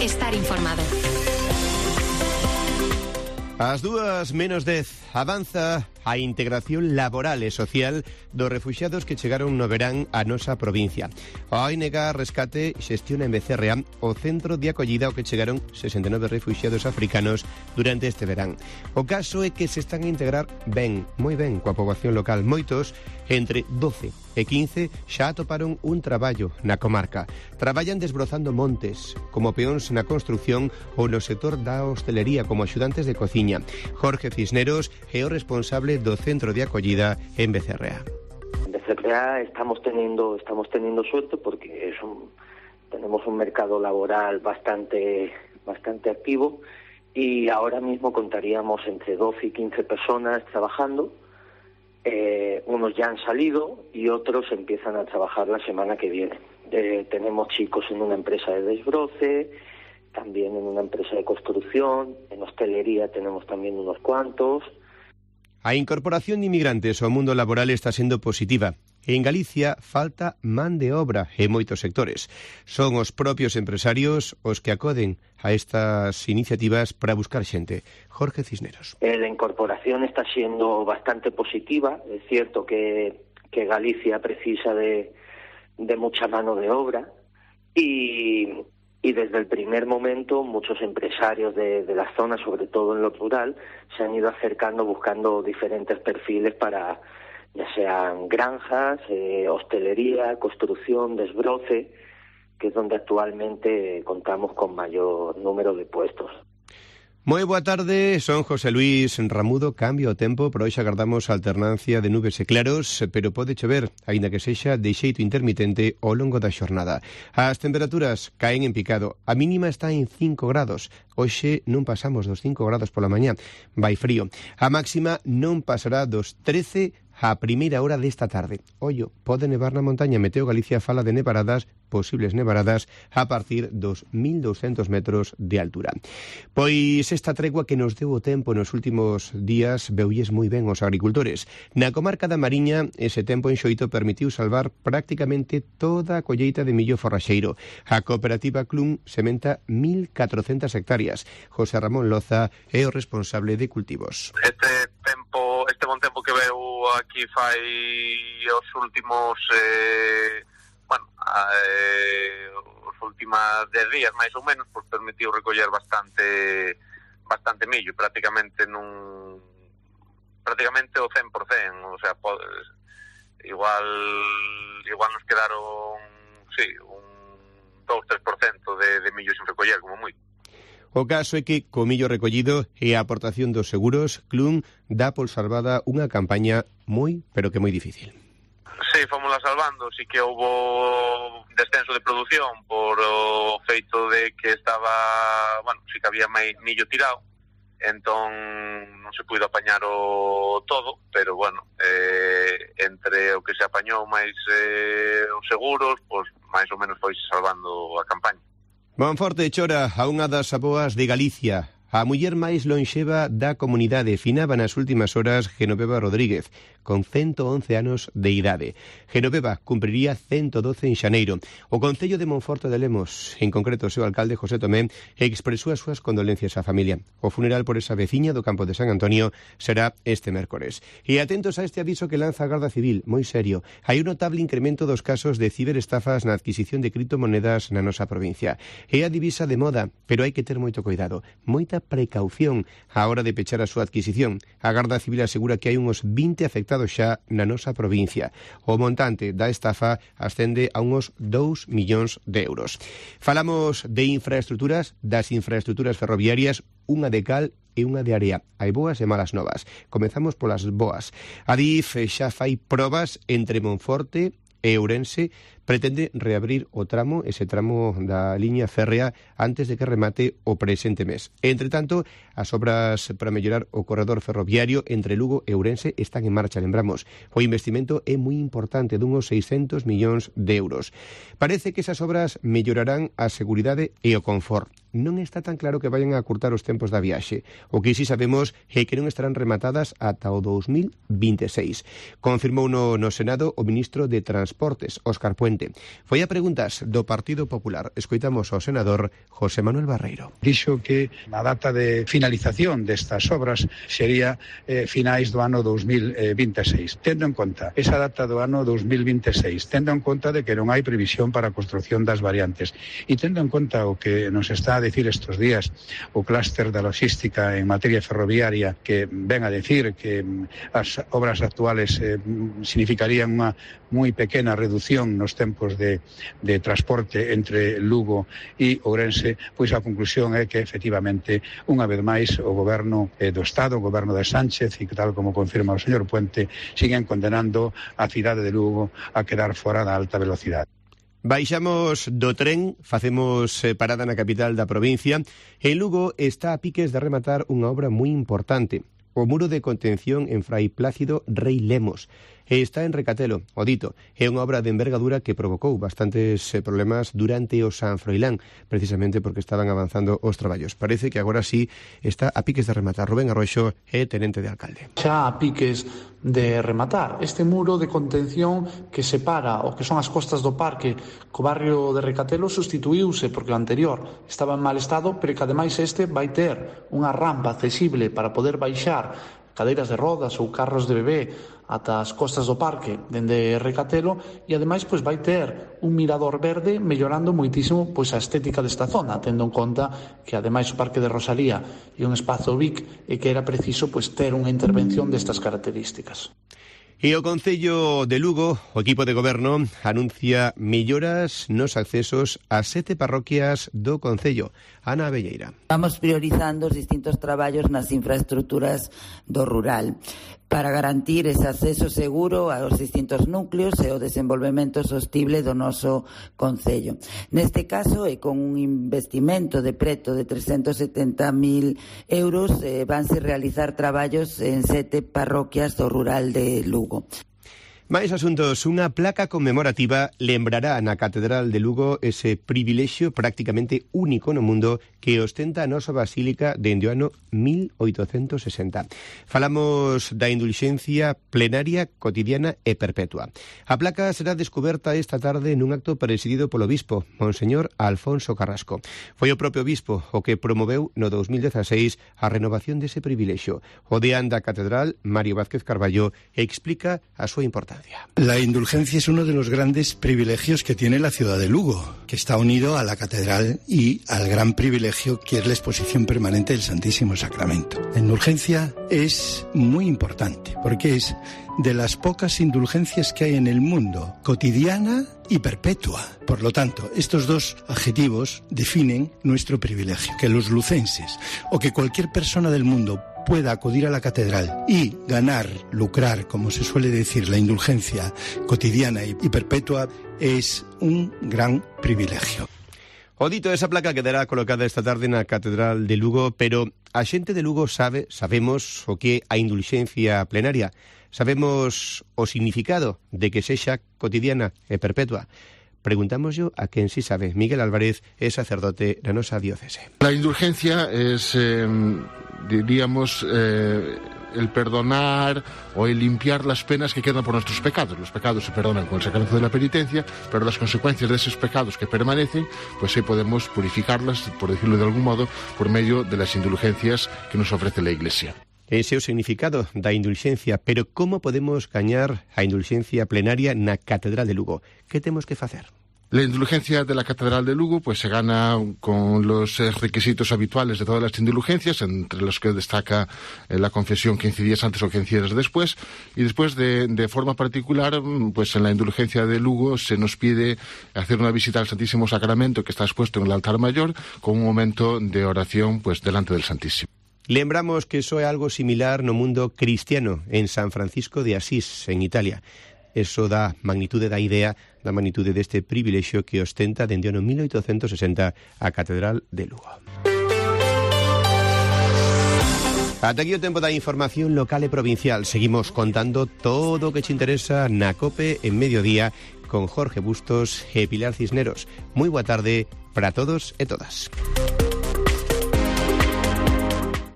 estar informado. Ás 2:10 avanza a integración laboral e social dos refuxiados que chegaron no verán a nosa provincia. A ONG Rescate xestiona en Becerrea o centro de acollida ao que chegaron 69 refuxiados africanos durante este verán. O caso é que se están a integrar ben, moi ben, coa poboación local. Moitos, entre 12 e 15, xa atoparon un traballo na comarca. Traballan desbrozando montes, como peóns na construción ou no sector da hostelería como axudantes de cociña. Jorge Cisneros é o responsable do centro de acollida en Becerrea. En Becerrea estamos teniendo suerte porque tenemos un mercado laboral bastante activo y ahora mismo contaríamos entre 12 y 15 personas trabajando. Unos ya han salido y otros empiezan a trabajar la semana que viene. Tenemos chicos en una empresa de desbroce, también en una empresa de construcción, en hostelería tenemos también unos cuantos. A incorporación de inmigrantes ao mundo laboral está sendo positiva. En Galicia falta man de obra en moitos sectores. Son os propios empresarios os que acoden a estas iniciativas para buscar xente. Jorge Cisneros. La incorporación está siendo bastante positiva. Es cierto que Galicia precisa de mucha mano de obra y desde el primer momento muchos empresarios de la zona, sobre todo en lo rural, se han ido acercando buscando diferentes perfiles para, ya sean granjas, hostelería, construcción, desbroce, que es donde actualmente contamos con mayor número de puestos. Moi boa tarde, son José Luis Ramudo. Cambio o tempo, pero hoxe agardamos alternancia de nubes e claros, pero pode chover, aínda que sexa de xeito intermitente ao longo da xornada. As temperaturas caen en picado. A mínima está en 5 grados. Hoxe non pasamos dos 5 grados pola mañá. Vai frío. A máxima non pasará dos 13 a primeira hora desta tarde. Ollo, pode nevar na montaña. Meteo Galicia fala de nevaradas, posibles nevaradas, a partir dos 1.200 metros de altura. Pois esta tregua que nos deu o tempo nos últimos días veulles moi ben os agricultores. Na comarca da Mariña, ese tempo en xoito permitiu salvar prácticamente toda a colleita de millo forraxeiro. A cooperativa Clun sementa 1.400 hectáreas. José Ramón Loza é o responsable de cultivos. Este bon tempo que veu aquí fai os últimos os últimos 10 días máis ou menos, pues permitiu recoller bastante millo, prácticamente o 100%, o sea, igual nos quedaron un 2-3% de millo sin recoller, como moi. O caso é que, co millo recollido e a aportación dos seguros, Clun dá por salvada unha campaña moi, pero que moi difícil. Sí, fomosla salvando, sí que houbo descenso de produción por o feito de que sí que había máis millo tirado, entón non se puido apañar o todo, pero entre o que se apañou máis os seguros, pois máis ou menos foi salvando a campaña. Monforte chora a unha das aboas de Galicia. A muller máis lonxeva da comunidade finaba nas últimas horas Genoveva Rodríguez, con 111 anos de idade. Genoveva cumpriría 112 en xaneiro. O Concello de Monforte de Lemos, en concreto o seu alcalde José Tomé, expresou as súas condolencias á familia. O funeral por esa veciña do campo de San Antonio será este mércores. E atentos a este aviso que lanza a Garda Civil, moi serio. Hai un notable incremento dos casos de ciberestafas na adquisición de criptomonedas na nosa provincia. É a divisa de moda, pero hai que ter moito cuidado, moita precaución á hora de pechar a súa adquisición. A Garda Civil asegura que hai uns 20 afectados xa na nosa provincia. O montante da estafa ascende a uns 2 millóns de euros. Falamos de infraestruturas, das infraestruturas ferroviarias, unha de cal e unha de area. Hai boas e malas novas. Comezamos polas boas. A DIF xa fai probas entre Monforte e Ourense, pretende reabrir ese tramo da liña férrea antes de que remate o presente mes. Entre tanto, as obras para mellorar o corredor ferroviario entre Lugo e Ourense están en marcha, lembramos. O investimento é moi importante, dunhos 600 millóns de euros. Parece que esas obras mellorarán a seguridade e o confort. Non está tan claro que vayan a acurtar os tempos da viaxe. O que si sabemos é que non estarán rematadas ata o 2026. Confirmou no Senado o ministro de Transportes, Óscar Puente. Puente. Foi a preguntas do Partido Popular. Escoitamos ao senador José Manuel Barreiro. Dixo que a data de finalización destas obras sería finais do ano 2026. Tendo en conta esa data do ano 2026, tendo en conta de que non hai previsión para a construción das variantes e tendo en conta o que nos está a decir estes días o clúster da logística en materia ferroviaria, que ven a decir que as obras actuales significarían unha moi pequena reducción nos tempos de transporte entre Lugo e Ourense, pois a conclusión é que efectivamente unha vez máis o goberno do Estado, o goberno de Sánchez, e tal como confirma o señor Puente, siguen condenando a cidade de Lugo a quedar fora da alta velocidade. Baixamos do tren, facemos parada na capital da provincia. En Lugo está a piques de rematar unha obra moi importante, o muro de contención en Fray Plácido Rei Lemos. Está en Recatelo, o dito. É unha obra de envergadura que provocou bastantes problemas durante o San Froilán, precisamente porque estaban avanzando os traballos. Parece que agora sí está a piques de rematar. Rubén Arroxo é tenente de alcalde. Xa a piques de rematar este muro de contención que separa o que son as costas do parque co barrio de Recatelo sustituíuse porque o anterior estaba en mal estado, pero que ademais este vai ter unha rampa accesible para poder baixar cadeiras de rodas ou carros de bebé ata as costas do parque dende Recatelo, e ademais pois vai ter un mirador verde mellorando moitísimo pois a estética desta zona, tendo en conta que ademais o Parque de Rosalía é un espazo BIC e que era preciso pois ter unha intervención destas características. E o Concello de Lugo, o equipo de goberno, anuncia melloras nos accesos a 7 parroquias do Concello. Ana Abelleira. Vamos priorizando os distintos traballos nas infraestructuras do rural para garantir ese acceso seguro aos distintos núcleos e o desenvolvemento sostible do noso Concello. Neste caso, e con un investimento de preto de 370.000 euros, vanse realizar traballos en 7 parroquias do rural de Lugo. Mais asuntos, unha placa conmemorativa lembrará na Catedral de Lugo ese privilexio prácticamente único no mundo que ostenta a nosa basílica dende o ano 1860. Falamos da indulxencia plenaria, cotidiana e perpetua. A placa será descoberta esta tarde nun acto presidido polo bispo, Monseñor Alfonso Carrasco. Foi o propio bispo o que promoveu no 2016 a renovación dese privilexio. O deán da Catedral, Mario Vázquez Carballo, explica a súa importancia. La indulgencia es uno de los grandes privilegios que tiene la ciudad de Lugo, que está unido a la catedral y al gran privilegio que es la exposición permanente del Santísimo Sacramento. La indulgencia es muy importante porque es de las pocas indulgencias que hay en el mundo, cotidiana y perpetua. Por lo tanto, estos dos adjetivos definen nuestro privilegio, que los lucenses o que cualquier persona del mundo pueda acudir a la catedral y ganar, lucrar, como se suele decir, la indulgencia cotidiana y perpetua, es un gran privilegio. O dito, esa placa quedará colocada esta tarde na Catedral de Lugo, pero a xente de Lugo sabemos o que é a indulxencia plenaria, sabemos o significado de que sexa cotidiana e perpetua. Preguntámoslo a quen sí sabe. Miguel Álvarez é sacerdote na nosa diócese. La indulgencia es, diríamos, el perdonar o el limpiar las penas que quedan por nuestros pecados. Los pecados se perdonan con el sacramento de la penitencia, pero las consecuencias de esos pecados que permanecen, pues sí podemos purificarlas, por decirlo de algún modo, por medio de las indulgencias que nos ofrece la Iglesia. Ese é o significado da indulxencia, pero como podemos gañar a indulxencia plenaria na Catedral de Lugo? Que temos que facer? La indulgencia de la Catedral de Lugo pues se gana con los requisitos habituales de todas las indulgencias, entre los que destaca la confesión 15 días antes o 15 días después, y después de forma particular, pues en la indulgencia de Lugo se nos pide hacer una visita al Santísimo Sacramento que está expuesto en el altar mayor, con un momento de oración pues delante del Santísimo. Lembramos que iso é algo similar no mundo cristiano, en San Francisco de Asís, en Italia. Eso dá magnitude da idea, da magnitude deste privilexio que ostenta dende o ano 1860 a Catedral de Lugo. Ata aquí o tempo da información local e provincial. Seguimos contando todo o que te interesa na COPE en mediodía con Jorge Bustos e Pilar Cisneros. Moi boa tarde para todos e todas.